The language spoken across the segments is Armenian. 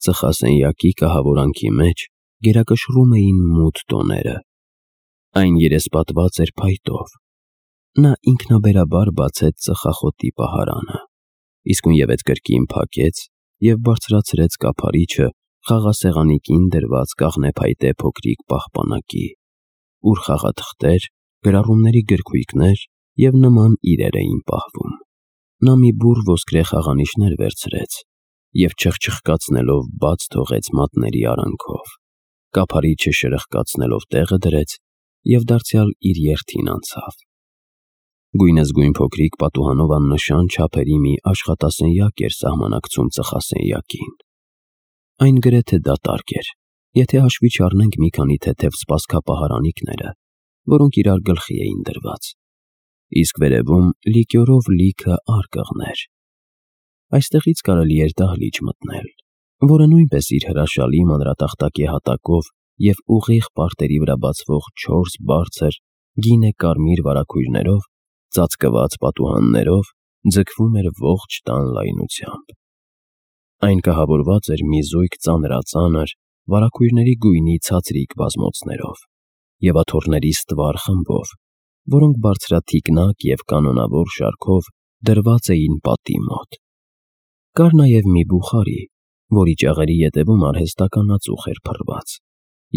Ծխասենյակի կահավորանքի մեջ գերակշռում էին մութ տոները։ Այն երեսպատված էր փայտով։ Նա ինքնաբերաբար բացեց ծխախոտի պահարանը, իսկույնևեթ կրկին փակեց և բարձրացրեց կափարիչը խաղասեղանի կին դրված կաղնեփայտե փոքրիկ պահպանակի, ուր խաղաթղթեր, գրառումների գրքույկներ և նման իրեր էին պահվում։ Նա մի բուռ ոսկրե խաղանիշներ վերցրեց և չխչխկացնելով բաց թողեց մատների արանքով, կափարիչը շրխկացնելով տեղը դրեց և դարձյալ իր երթին անցավ։ Գույնզգույն փոքրիկ պատուհանով աննշան չափերի մի աշխատասենյակ էր սահմանակցում ծխասենյակին։ Այն գրեթե դատարկ էր, եթե հաշվի չառնենք մի քանի թեթև սպասքապահարանիկները, որոնք իրար գլխի էին դրված, իսկ վերևում լիկյորով լիքը արկղներ։ Այստեղից կարելի էր դահլիճ մտնել, որը նույնպես իր հրաշալի մանրատախտակե հատակով և ուղիղ պարտերի վրա բացվող 4 բարձր գինե-կարմիր վարագույրներով ծածկված պատուհաններով ձգվում էր ողջ տան լայնությամբ։ Այն կահավորված էր մի զույգ ծանրածանր վարագույրների գույնի ցածրիկ բազմոցներով և աթոռների ստվար խմբով, որոնք բարձրաթիկնակ և կանոնավոր շարքով դրված էին պատի մոտ։ Կար նաև մի բուխարի, որի ճաղերի ետևում արհեստական ածուխ էր փռված,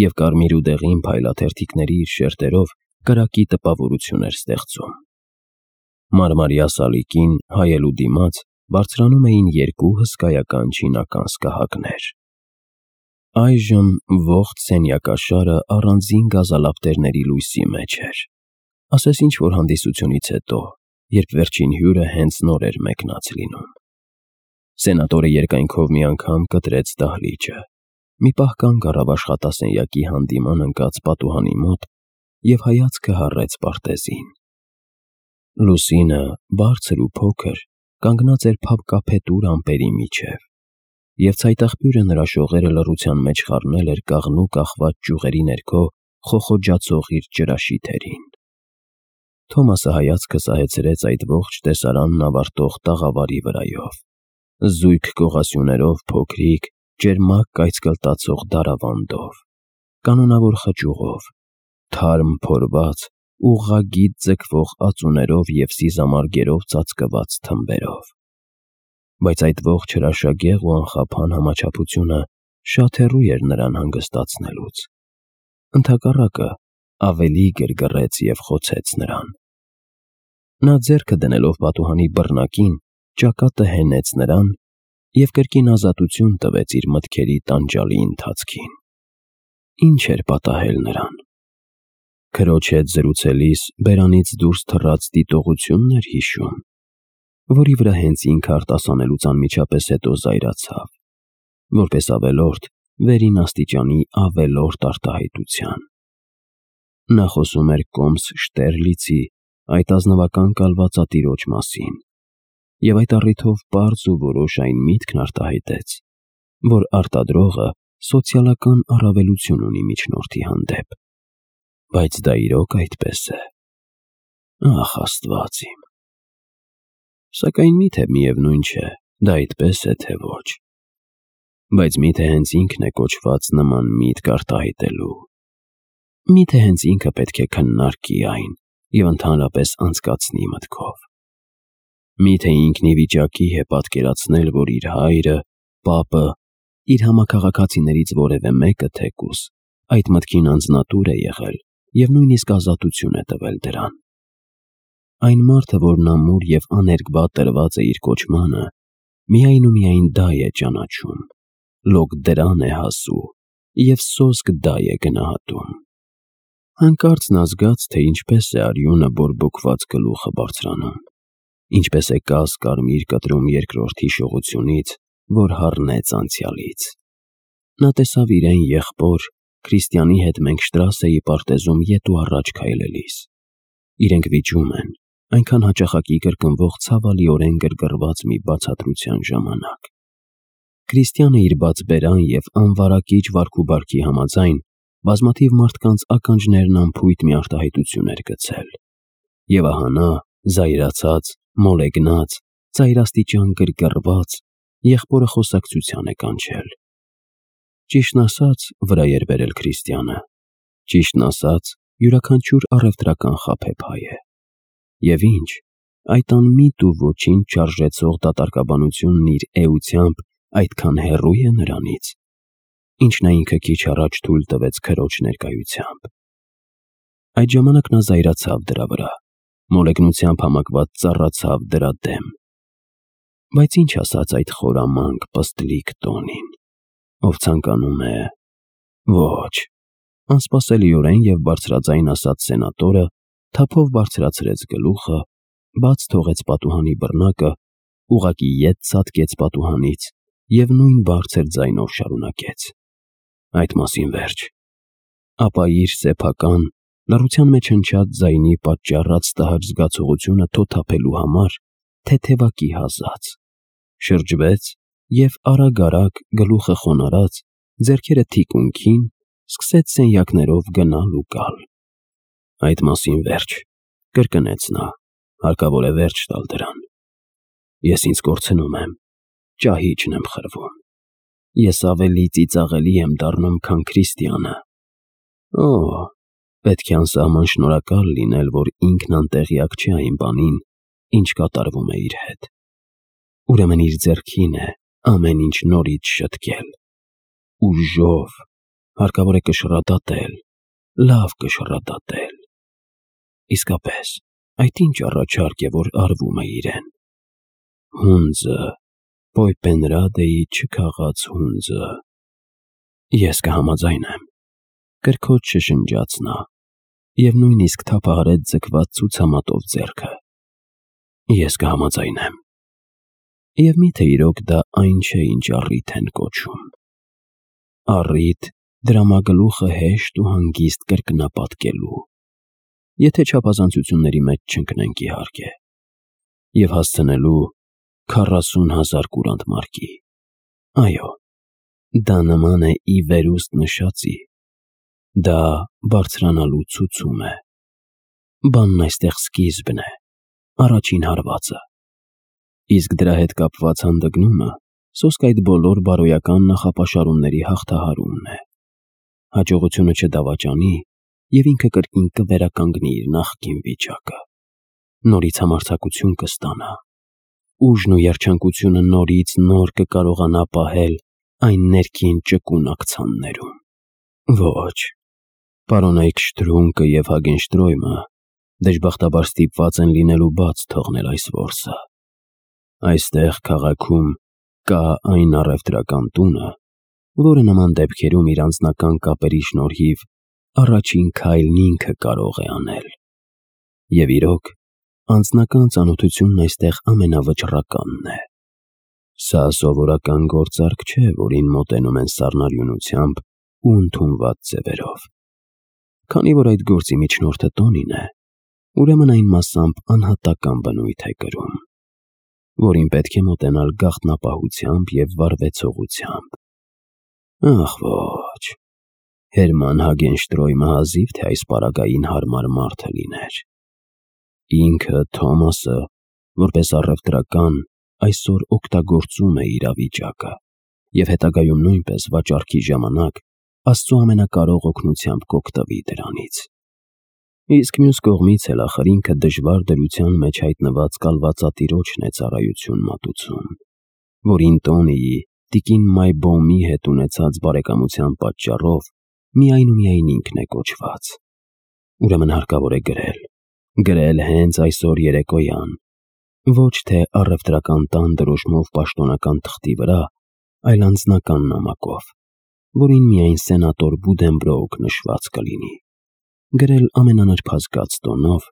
և կարմիր ու դեղին փայլաթերթիկների իր շերտերով կրակի տպավորություն էր ստեղծում։ Մարմարյա սալիկին հայելու դիմաց բարձրանում էին 2 հսկայական չինական սկահակներ։ Այժմ ողջ սենյակաշարը առանձին գազալապտերների լույսի մեջ էր, ասես ինչ-որ հանդիսությունից հետո, երբ վերջին հյուրը հենց նոր էր մեկնած լինում։ Սենատորը երկայնքով մի անգամ կտրեց դահլիճը, մի պահ կանգ առավ աշխատասենյակի հանդիման ընկած պատուհանի մոտ և հայացքը հառեց պարտեզին։ Լուսինը, բարձր ու փոքր, կանգնած էր փաբկափետուր ամպերի միջև, և ցայտաղբյուրը նրա շողերը լռության մեջ խառնել էր կաղնու կախված ճյուղերի ներքո խոխոջացող իր ճրաշիթերին։ Թոմասը հայացքը սահեցրեց այդ ողջ տեսարանն ավարտող տաղավարի վրայով, զույգ կողասյուներով փոքրիկ, ճերմակ կայծկլտացող դարավանդով, կանոնավոր խճուղով, թարմ փորված, ուղղագիծ ձգվող ածուներով և սիզամարգերով ծածկված թմբերով։ Բայց այդ ողջ հրաշագեղ ու անխափան համաչափությունը շատ հեռու էր նրան հանգստացնելուց։ Ընդհակառակը, ավելի գրգռեց և խոցեց նրան։ Նա ձեռքը դնելով պատուհանի բռնակին, ճակատը հենեց նրան և կրկին ազատություն տվեց իր մտքերի տանջալի ընթացքին։ Ինչ էր պատահել նրան։ Քրոջ հետ զրուցելիս բերանից դուրս թռած դիտողությունն էր հիշում, որի վրա հենց ինքը արտասանելուց անմիջապես հետո զայրացավ, որպես ավելորդ վերին աստիճանի ավելորդ արտահայտության։ Նա խոսում էր Կոմս Շտերլիցի այդ ազնվական կալվածատիրոջ մասին, և այդ առիթով պարզ ու որոշ այն միտքն արտահայտեց, որ արտադրողը սոցիալական առավելություն ունի միջնորդի հանդեպ։ Բայց դա իրոք այդպես է։ Ախ, Աստված իմ։ Սակայն միթե միևնույն չէ, դա այդպես է, թե ոչ։ Բայց միթե հենց ինքն է կոչված նման միտք արտահայտելու։ Միթե հենց ինքը պետք է քննարկի այն և ընդհանրապես անցկացնի մտքով։ Միթե ինքն ի վիճակի է պատկերացնել, որ իր հայրը, պապը, իր համաքաղաքացիներից որևէ մեկը թեկուզ այդ մտքին անձնատուր է եղել և նույնիսկ ազատություն է տվել դրան։ Այն մարդը, որն ամուր և աներկբա տրված է իր կոչմանը, միայն ու միայն դա է ճանաչում, լոկ դրան է հասու և սոսկ դա է գնահատում։ Հանկարծ նա զգաց, թե ինչպես է արյունը բորբոքված գլուխը բարձրանում, ինչպես է կաս կարմիր կտրում երկրորդ հիշողությունից, որ հառնեց անցյալից։ Նա տեսավ իրեն եղբոր, Քրիստիանի հետ մենք Շտրասեի պարտեզում ետ ու առաջ քայլելիս։ Իրենք վիճում են, այնքան հաճախակի կրկնվող ցավալիորեն գրգռված մի բացատրության ժամանակ։ Քրիստիանը իր բաց բերան և անվարակիչ վարքուբարքի համաձայն բազմաթիվ մարդկանց ականջներն անփույթ մի արտահայտություն էր գցել։ Եվ ահա նա, զայրացած, մոլեգնած, ծայրաստիճան գրգռված, եղբորը խոսակցության է կանչել Ճիշտն ասած, վրա էր բերել Քրիստիանը։ Ճիշտն ասած, յուրաքանչյուր առևտրական խաբեբայ է։ Եվ ինչ, այդ անմիտ ու ոչինչ չարժեցող դատարկաբանությունն իր էությամբ այդքան հեռու է նրանից, ինչ նա ինքը քիչ առաջ թույլ տվեց քրոջ ներկայությամբ։ Այդ ժամանակ նա զայրացավ դրա վրա, մոլեգնությամբ համակված ծառացավ դրա դեմ։ Բայց ինչ ասաց այդ խորամանկ, պստլիկ տոնին, ով ցանկանում է… Ոչ, անսպասելիորեն և բարձրաձայն ասաց սենատորը, թափով բարձրացրեց գլուխը, բաց թողեց պատուհանի բռնակը, ուղղակի ետ ցատկեց պատուհանից և նույն բարձր ձայնով շարունակեց. Այդ մասին վերջ։ Ապա իր սեփական, լռության մեջ հնչած ձայնի պատճառած տհաճ զգացողությունը թոթափելու համար թեթևակի հազաց, շրջվեց և արագ-արագ, գլուխը խոնարհած, ձեռքերը թիկունքին, սկսեց սենյակներով գնալ ու գալ։ Այդ մասին վերջ, կրկնեց նա, հարկավոր է վերջ տալ դրան։ Ես ինձ կորցնում եմ, ճահիճն եմ խրվում։ Ես ավելի ծիծաղելի եմ դառնում, քան Քրիստիանը։ Օ, պետք է անսահման շնորհակալ լինել, որ ինքն անտեղյակ չէ այն բանին, ինչ կատարվում է իր հետ։ Ուրեմն իր ձեռքին է ամեն ինչ նորից շտկել։ Ուժով, հարկավոր է կշռադատել, լավ կշռադատել։ Իսկապես, այդ ինչ առաջարկ է, որ արվում է իրեն։ Հունձը, Պոյպենրադեի չքաղած հունձը։ Ես կհամաձայնեմ, կրքոջ շշնջաց նա, և նույնիսկ թափահարեց ձգված ցուցամատով ձեռքը։ Ես կհամաձայնեմ։ Եվ միթե իրոք դա այն չէ, ինչ առիթ են կոչում։ Առիթ դրամագլուխը հեշտ ու հանգիստ կրկնապատկելու, եթե չափազանցությունների մեջ չընկնենք իհարկե, և հասցնելու 40,000 կուրանտ մարկի։ Այո, դա նման է ի վերուստ նշածի, դա բարձրանալու ցուցում է։ Բանն այստեղ սկիզբն է, առաջին հարվածը։ Իսկ դրա հետ կապված հանդգնումը սոսկ այդ բոլոր բարոյական նախապաշարումների հաղթահարումն է։ Հաջողությունը չդավաճանի, և ինքը կրկին կվերականգնի իր նախկին վիճակը։ Նորից համարձակություն կստանա։ Ուժն ու երջանկությունը նորից նոր կկարողանա պահել այն ներքին ճկուն աքցաններում։ Ոչ, պարոն Էյքշտրունկը և Հագենշտրոյմը դժբախտաբար ստիպված են լինելու բաց թողնել այս որսը։ Այստեղ քաղաքում կա այն առևտրական տունը, որը նման դեպքերում իր անձնական կապերի շնորհիվ առաջին քայլն ինքը կարող է անել։ Եվ իրոք, անձնական ծանոթությունն այստեղ ամենավճռականն է։ Սա սովորական գործարք չէ, որին մոտենում են սառնարյունությամբ ու ընդունված ձևերով։ Քանի որ այդ գործի միջնորդը տոնին է, ուրեմն այն մասամբ անհատական բնույթ է կրում, որին պետք է մոտենալ գաղտնապահությամբ և վարվեցողությամբ։ Ախ ոչ, Հերման Հագենշտրոյմը հազիվ թե այս պարագային հարմար մարդը լիներ։ Ինքը, Թոմասը, որպես առևտրական, այսօր օգտագործում է իրավիճակը և հետագայում նույնպես վաճառքի ժամանակ Աստծո ամենակարող օգնությամբ կօգտվի դրանից։ Իսկ մյուս կողմից էլ ախր ինքը դժվար դրության մեջ հայտնված կալվածատիրոջն է ծառայություն մատուցում, որին Տոնիի, տիկին Մայբոմի հետ ունեցած բարեկամության պատճառով միայն ու միայն ինքն է կոչված։ Ուրեմն հարկավոր է գրել հենց այսօր երեկոյան, ոչ թե առևտրական տան դրոշմով պաշտոնական թղթի վրա, այլ անձնական նամակով, որին միայն սենատոր Բուդենբրոուք նշված կլինի, գրել ամենանրբազգաց տոնով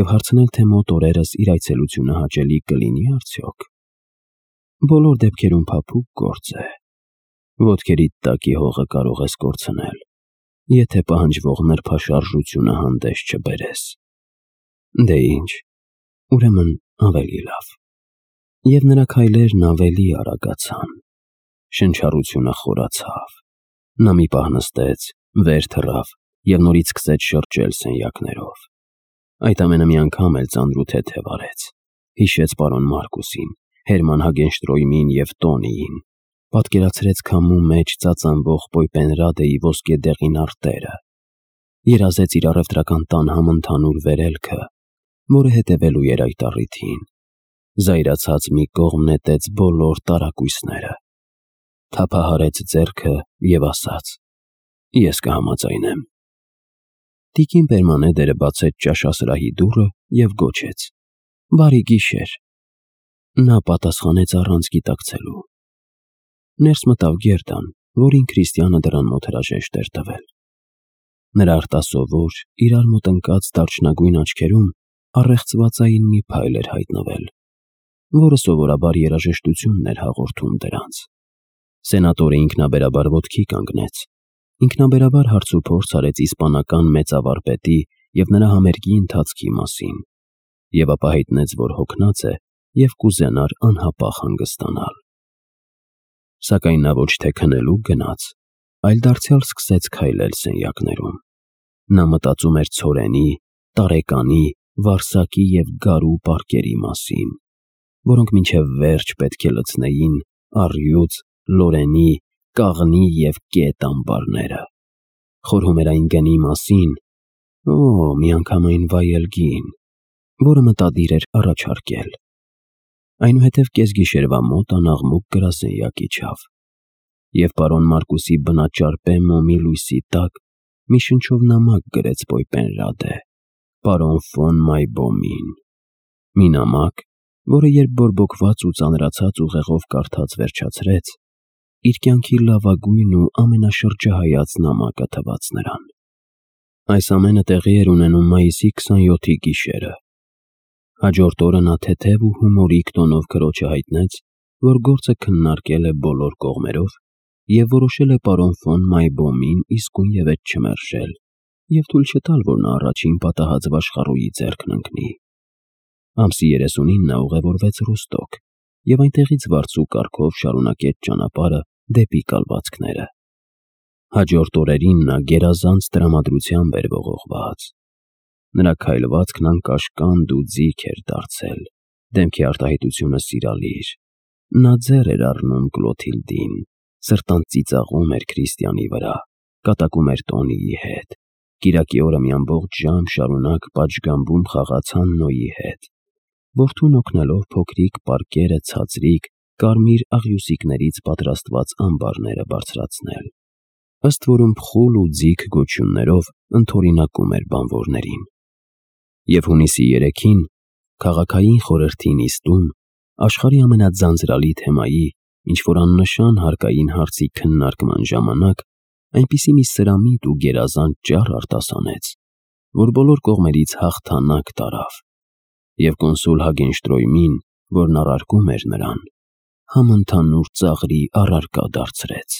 և հարցնել, թե մոտ օրերս իր այցելությունը հաճելի կլինի արդյոք։ Բոլոր դեպքերում փափուկ գործ է։ Ոտքերիդ տակի հողը կարող ես կորցնել, եթե պահանջվող նրբաշարժությունը հանդես չբերես։ Դե ինչ, ուրեմն ավելի լավ։ Եվ նրա քայլերն ավելի արագացան։ Շնչառությունը խորացավ։ Նա մի պահ նստեց, վեր թռավ և նորից սկսեց շրջել սենյակներով։ Այդ ամենը մի անգամ էլ ծանր ու թեթև արեց։ Հիշեց պարոն Մարկուսին, Հերման Հագենշտրոյմին և Տոնիին, պատկերացրեց քամու մեջ ծածանվող Պոյպենրադեի ոսկե դեղին արտերը, երազեց իր առևտրական տան համընդհանուր վերելքը, որը հետևելու էր այդ առիթին, զայրացած մի կողմ նետեց բոլոր տարակույսները, թափահարեց ձեռքը և ասաց. «Ես կհամաձայնեմ»։ Տիկին Պերմանեդերը բացեց ճաշասրահի դուռը և գոչեց. «Բարի գիշեր»։ Նա պատասխանեց առանց գիտակցելու։ Ներս մտավ Գերդան, որին Քրիստիանը դռան մոտ հրաժեշտ էր տվել։ Նրա արտասովոր, իրար մոտ ընկած դարչնագույն աչքերում առեղծվածային մի փայլ էր հայտնվել, որը սովորաբար երաժշտությունն էր հաղորդում դրանց։ Սենատորը ինքնաբերաբար ոտքի կանգնեց, ինքնաբերաբար հարցուփորձ արեց իսպանական մեծավարպետի և նրա համերգի ընթացքի մասին, և ապա հայտնեց, որ հոգնած է և կուզենար անհապաղ հանգստանալ։ Սակայն նա ոչ թե քնելու գնաց, այլ դարձյալ սկսեց քայլել սենյակներում։ Նա մտածում էր ցորենի, տարեկանի, վարսակի և գարու պարկերի մասին, որոնք մինչև վերջ պետք է լցնեին առյուծ, լորենի, կաղնի և կետ ամբարները։ Խորհում էր այն գնի մասին, միանգամայն վայել գին, որը մտադիր էր առաջարկել։ Այնուհետև կեսգիշերվա մոտ անաղմուկ գրասենյակ իջավ, և պարոն Մարկուսի բնաճարպե մոմի լույսի տակ մի շնչով նամակ գրեց Պոյպենրադե, պարոն ֆոն Մայբոմին, մի նամակ, որը երբ բորբոքված ու ծանրացած ուղեղով կարդաց վերջացրեց, իր կյանքի լավագույն ու ամենաշրջահայաց նամակը թվաց նրան։ Այս ամենը տեղի էր ունենում մայիսի 27-ի գիշերը։ Հաջորդ օրը նա թեթև ու հումորիկ տոնով քրոջը հայտնեց, որ գործը քննարկել է բոլոր կողմերով և որոշել է պարոն ֆոն Մայբոմին իսկույնևեթ չմերժել և թույլ չտալ, որ նա առաջին պատահած վաշխառուի ձեռքն ընկնի։ Ամսի 30-ին նա ուղևորվեց Ռոստոկ և այնտեղից վարձու կարգով շարունակեց ճանապարհը դեպի կալվածքները։ Հաջորդ օրերին նա գերազանց տրամադրությամբ էր ողողված։ Նրա քայլվածքն անկաշկանդ ու ձիգ էր դարձել, դեմքի արտահայտությունը սիրալիր։ Նա ձեռ էր առնում Կլոթիլդին, սրտանց ծիծաղում էր Քրիստիանի վրա, կատակում էր Տոնիի հետ, կիրակի օրը մի ամբողջ ժամ շարունակ պատշգամբում խաղաց Հաննոյի հետ, որդուն օգնելով փոքրիկ պարկերը ցածրիկ, կարմիր աղյուսիկներից պատրաստված ամբարները բարձրացնել, ըստ որում փխուլ ու ձիգ գոչյուններով ընդօրինակում էր բանվորներին։ Եվ հունիսի 3-ին, քաղաքային խորհրդի նիստում, աշխարհի ամենաձանձրալի թեմայի, ինչ-որ աննշան հարկային հարցի քննարկման ժամանակ, այնպիսի մի սրամիտ ու գերազանց ճառ արտասանեց, որ բոլոր կողմերից հաղթանակ տարավ, և կոնսուլ Հագենշտրոյմին, որն առարկում էր նրան, համընդհանուր ծաղրի առարկա դարձրեց։